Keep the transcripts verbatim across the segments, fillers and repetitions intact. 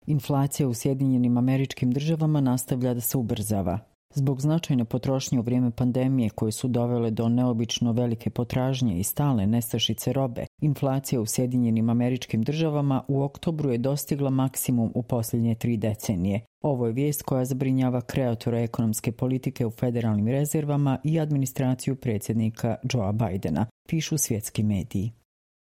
Inflacija u Sjedinjenim Američkim Državama nastavlja da se ubrzava. Zbog značajne potrošnje u vrijeme pandemije koje su dovele do neobično velike potražnje i stalne nestašice robe, inflacija u Sjedinjenim Američkim Državama u oktobru je dostigla maksimum u posljednje tri decenije. Ovo je vijest koja zabrinjava kreatora ekonomske politike u federalnim rezervama i administraciju predsjednika Joea Bidena, pišu svjetski mediji.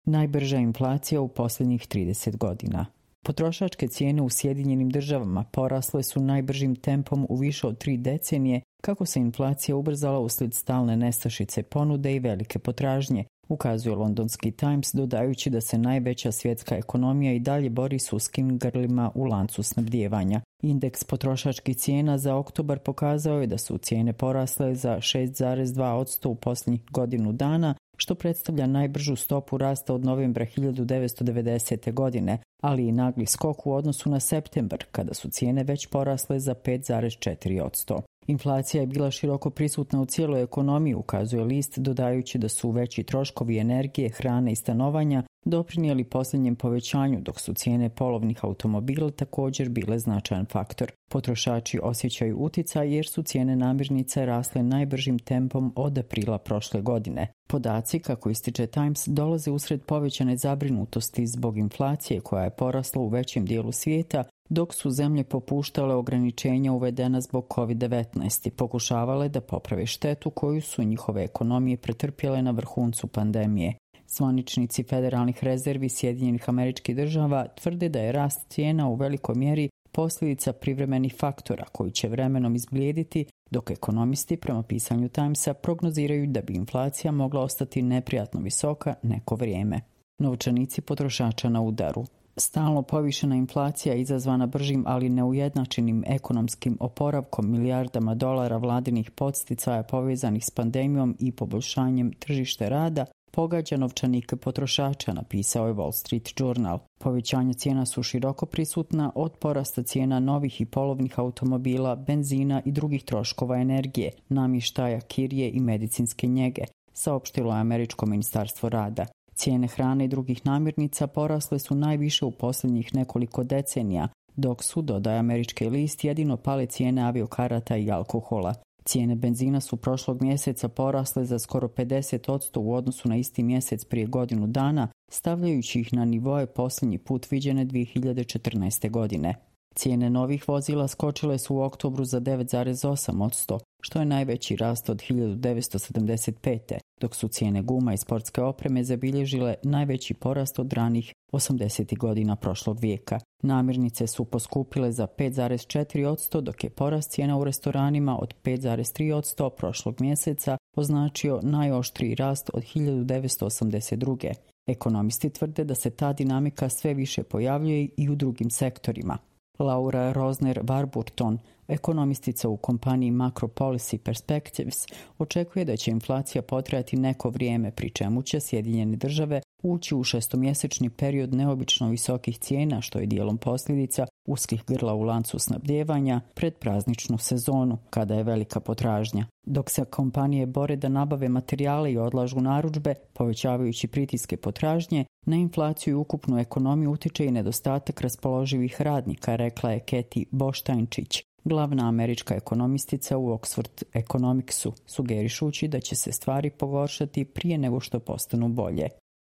Najbrža inflacija u posljednjih trideset godina. Potrošačke cijene u Sjedinjenim Državama porasle su najbržim tempom u više od tri decenije kako se inflacija ubrzala uslijed stalne nestašice ponude i velike potražnje, ukazuje londonski Times dodajući da se najveća svjetska ekonomija i dalje bori s uskim grlima u lancu snabdijevanja. Indeks potrošačkih cijena za oktobar pokazao je da su cijene porasle za šest zarez dva posto u posljednjih godinu dana, što predstavlja najbržu stopu rasta od novembra hiljadu devetsto devedesete. godine, ali i nagli skok u odnosu na septembar, kada su cijene već porasle za pet zarez četiri posto. Inflacija je bila široko prisutna u cijeloj ekonomiji, ukazuje list, dodajući da su veći troškovi energije, hrane i stanovanja doprinijeli posljednjem povećanju, dok su cijene polovnih automobila također bile značajan faktor. Potrošači osjećaju uticaj jer su cijene namirnica rasle najbržim tempom od aprila prošle godine. Podaci, kako ističe Times, dolaze usred povećane zabrinutosti zbog inflacije koja je porasla u većem dijelu svijeta, dok su zemlje popuštale ograničenja uvedena zbog kovid devetnaest i pokušavale da poprave štetu koju su njihove ekonomije pretrpjele na vrhuncu pandemije. Zvaničnici federalnih rezervi Sjedinjenih Američkih Država tvrde da je rast cijena u velikoj mjeri posljedica privremenih faktora koji će vremenom izblijediti, dok ekonomisti prema pisanju Timesa prognoziraju da bi inflacija mogla ostati neprijatno visoka neko vrijeme. Novčanici potrošača na udaru. Stalno povišena inflacija izazvana bržim, ali neujednačenim ekonomskim oporavkom milijardama dolara vladinih podsticaja povezanih s pandemijom i poboljšanjem tržišta rada pogađa novčanike potrošača, napisao je Wall Street Journal. Povećanja cijena su široko prisutna od porasta cijena novih i polovnih automobila, benzina i drugih troškova energije, namještaja, kirije i medicinske njege, saopštilo je Američko ministarstvo rada. Cijene hrane i drugih namirnica porasle su najviše u posljednjih nekoliko decenija, dok su, dodaje američki list, jedino pale cijene aviokarata i alkohola. Cijene benzina su prošlog mjeseca porasle za skoro pedeset posto u odnosu na isti mjesec prije godinu dana, stavljajući ih na nivoe posljednji put viđene dvije hiljade četrnaeste. godine. Cijene novih vozila skočile su u oktobru za devet zarez osam posto, što je najveći rast od hiljadu devetsto sedamdeset pete. dok su cijene guma i sportske opreme zabilježile najveći porast od ranih osamdesetih godina prošlog vijeka. Namirnice su poskupile za pet zarez četiri posto, dok je porast cijena u restoranima od pet zarez tri posto prošlog mjeseca označio najoštriji rast od hiljadu devetsto osamdeset druge. Ekonomisti tvrde da se ta dinamika sve više pojavljuje i u drugim sektorima. Laura Rosner Warburton, ekonomistica u kompaniji Macro Policy Perspectives, očekuje da će inflacija potrajati neko vrijeme, pri čemu će Sjedinjene Države ući u šestomjesečni period neobično visokih cijena, što je dijelom posljedica uskih grla u lancu snabdijevanja pred prazničnu sezonu, kada je velika potražnja. Dok se kompanije bore da nabave materijale i odlažu narudžbe, povećavajući pritiske potražnje, na inflaciju i ukupnu ekonomiju utiče i nedostatak raspoloživih radnika, rekla je Keti Boštajnčić, glavna američka ekonomistica u Oxford Economicsu, sugerišući da će se stvari pogoršati prije nego što postanu bolje.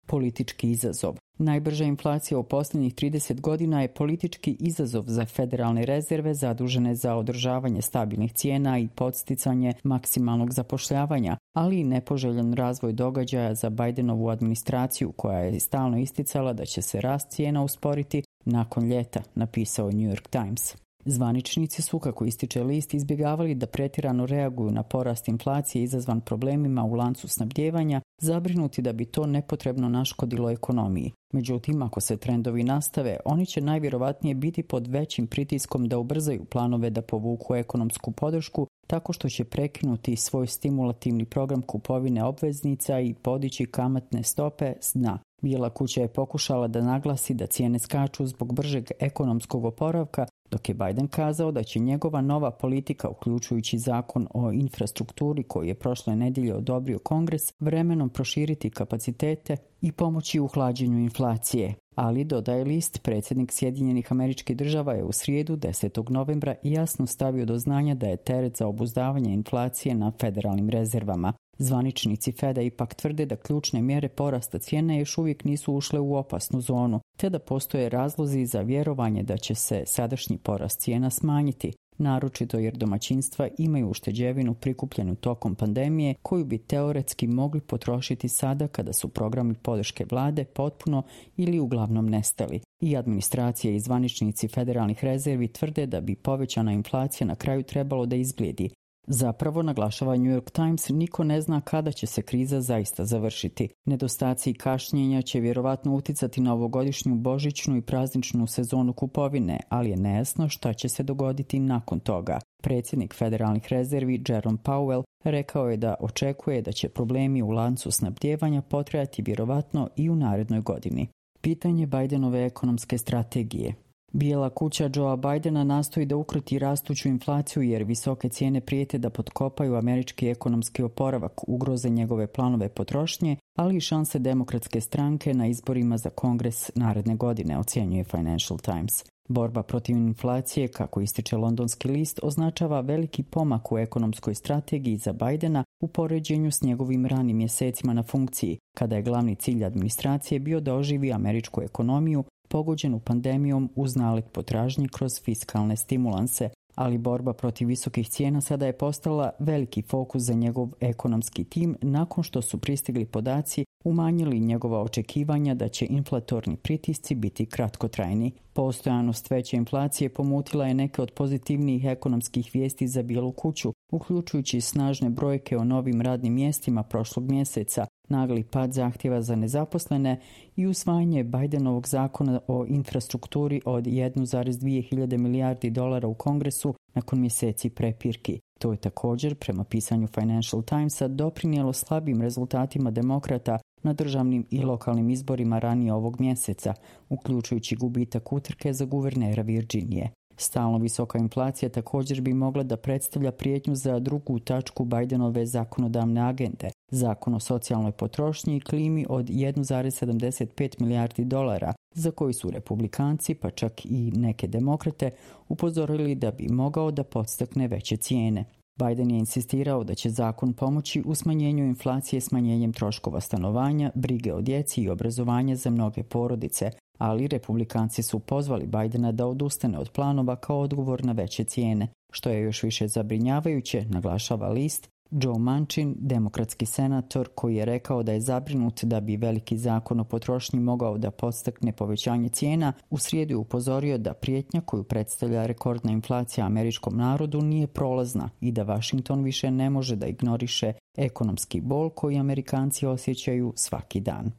Politički izazov. Najbrža inflacija u posljednjih trideset godina je politički izazov za federalne rezerve zadužene za održavanje stabilnih cijena i podsticanje maksimalnog zapošljavanja, ali i nepoželjen razvoj događaja za Bidenovu administraciju koja je stalno isticala da će se rast cijena usporiti nakon ljeta, napisao je New York Times. Zvaničnici su, kako ističe list, izbjegavali da pretjerano reaguju na porast inflacije izazvan problemima u lancu snabdijevanja, zabrinuti da bi to nepotrebno naškodilo ekonomiji. Međutim, ako se trendovi nastave, oni će najvjerovatnije biti pod većim pritiskom da ubrzaju planove da povuku ekonomsku podršku tako što će prekinuti svoj stimulativni program kupovine obveznica i podići kamatne stope s dna. Bijela kuća je pokušala da naglasi da cijene skaču zbog bržeg ekonomskog oporavka, dok je Biden kazao da će njegova nova politika, uključujući zakon o infrastrukturi koji je prošle nedjelje odobrio Kongres, vremenom proširiti kapacitete i pomoći u hlađenju inflacije. Ali, dodaje list, predsjednik Sjedinjenih Američkih Država je u srijedu desetog novembra jasno stavio do znanja da je teret za obuzdavanje inflacije na federalnim rezervama. Zvaničnici Feda ipak tvrde da ključne mjere porasta cijene još uvijek nisu ušle u opasnu zonu, te da postoje razlozi za vjerovanje da će se sadašnji porast cijena smanjiti, naročito jer domaćinstva imaju ušteđevinu prikupljenu tokom pandemije koju bi teoretski mogli potrošiti sada kada su programi podrške vlade potpuno ili uglavnom nestali. I administracija i zvaničnici federalnih rezervi tvrde da bi povećana inflacija na kraju trebalo da izblijedi. Zapravo, naglašava New York Times, niko ne zna kada će se kriza zaista završiti. Nedostaci i kašnjenja će vjerovatno uticati na ovogodišnju božićnu i prazničnu sezonu kupovine, ali je nejasno šta će se dogoditi nakon toga. Predsjednik federalnih rezervi Jerome Powell rekao je da očekuje da će problemi u lancu snabdijevanja potrajati vjerovatno i u narednoj godini. Pitanje Bidenove ekonomske strategije. Bijela kuća Joea Bidena nastoji da ukroti rastuću inflaciju jer visoke cijene prijete da potkopaju američki ekonomski oporavak, ugroze njegove planove potrošnje, ali i šanse demokratske stranke na izborima za Kongres naredne godine, ocjenjuje Financial Times. Borba protiv inflacije, kako ističe londonski list, označava veliki pomak u ekonomskoj strategiji za Bidena u poređenju s njegovim ranim mjesecima na funkciji, kada je glavni cilj administracije bio da oživi američku ekonomiju pogođenu pandemijom uz nalet potražnje kroz fiskalne stimulanse, ali borba protiv visokih cijena sada je postala veliki fokus za njegov ekonomski tim nakon što su pristigli podaci umanjili njegova očekivanja da će inflatorni pritisci biti kratkotrajni. Postojanost veće inflacije pomutila je neke od pozitivnijih ekonomskih vijesti za Bijelu kuću, uključujući snažne brojke o novim radnim mjestima prošlog mjeseca, nagli pad zahtjeva za nezaposlene i usvajanje Bidenovog zakona o infrastrukturi od jedan zarez dvije hiljade milijardi dolara u Kongresu nakon mjeseci prepirki. To je također, prema pisanju Financial Timesa, doprinijelo slabim rezultatima demokrata na državnim i lokalnim izborima ranije ovog mjeseca, uključujući gubitak utrke za guvernera Virginije. Stalno visoka inflacija također bi mogla da predstavlja prijetnju za drugu tačku Bidenove zakonodavne agende, zakon o socijalnoj potrošnji i klimi od jedan zarez sedamdeset pet milijardi dolara, za koji su republikanci, pa čak i neke demokrate, upozorili da bi mogao da podstakne veće cijene. Biden je insistirao da će zakon pomoći u smanjenju inflacije smanjenjem troškova stanovanja, brige o djeci i obrazovanja za mnoge porodice, ali republikanci su pozvali Bidena da odustane od planova kao odgovor na veće cijene. Što je još više zabrinjavajuće, naglašava list, Joe Manchin, demokratski senator koji je rekao da je zabrinut da bi veliki zakon o potrošnji mogao da podstakne povećanje cijena, u srijedu je upozorio da prijetnja koju predstavlja rekordna inflacija američkom narodu nije prolazna i da Washington više ne može da ignoriše ekonomski bol koji Amerikanci osjećaju svaki dan.